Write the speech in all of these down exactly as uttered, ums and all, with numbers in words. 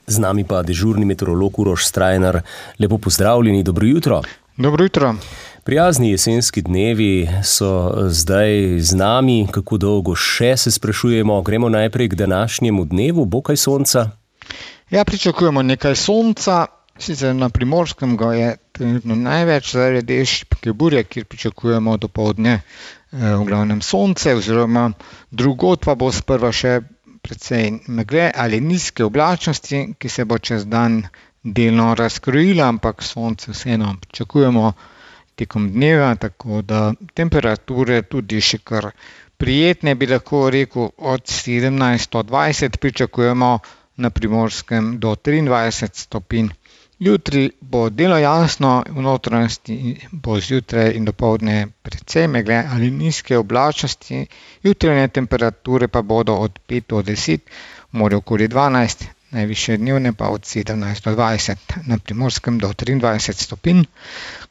Z nami pa dežurni meteorolog Uroš Strajnar. Lepo pozdravljeni, dobro jutro. Dobro jutro. Prijazni jesenski dnevi so zdaj z nami. Kako dolgo še, se sprašujemo? Gremo najprej k današnjemu dnevu. Bo kaj sonca? Ja, pričakujemo nekaj sonca. Sicer na Primorskem ga je trenutno največ, zaradi šibke burje, kjer pričakujemo dopoldne v glavnem sonce, oziroma drugod pa bo sprva še precej megle ali nizke oblačnosti, ki se bo čez dan delno razkrojila, ampak sonce vseeno pričakujemo tekom dneva, tako da temperature tudi še kar prijetne, bi lahko rekel, od sedemnajst do dvajset pričakujemo na Primorskem do triindvajset stopinj. Jutri bo delno jasno, v notranjosti bo zjutraj in dopoldne precej megle ali nizke oblačnosti, jutranje temperature pa bodo od pet do deset, v morju okoli dvanajst, najvišje dnevne pa od sedemnajst do dvajset, na Primorskem do triindvajset stopinj.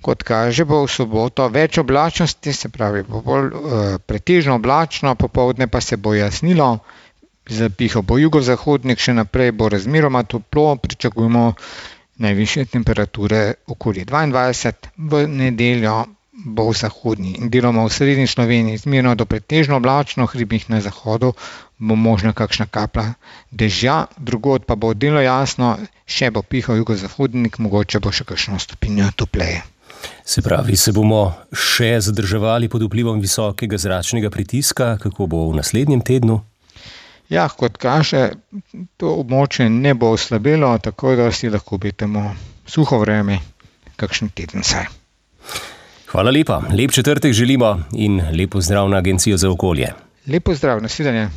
Kot kaže, bo v soboto več oblačnosti, se pravi bo bolj uh, pretežno oblačno, popoldne pa se bo jasnilo, zapihal bo jugozahodnik, še naprej bo razmeroma toplo, pričakujemo najvišje temperature okoli dvaindvajset, v nedeljo bo v zahodni in deloma v srednji Sloveniji zmerno do pretežno oblačno, v hribih na zahodu bo možna kakšna kaplja dežja, drugod pa bo delno jasno, še bo pihal jugozahodnik, mogoče bo še kakšno stopinjo topleje. Se pravi, se bomo še zadrževali pod vplivom visokega zračnega pritiska, kako bo v naslednjem tednu? Ja, kot kaže, to območje ne bo oslabelo, tako da si lahko obetamo suho vreme, kakšen teden saj. Hvala lepa, lep četrtek želimo in lep pozdrav na Agencijo za okolje. Lep pozdrav, nasvidenje.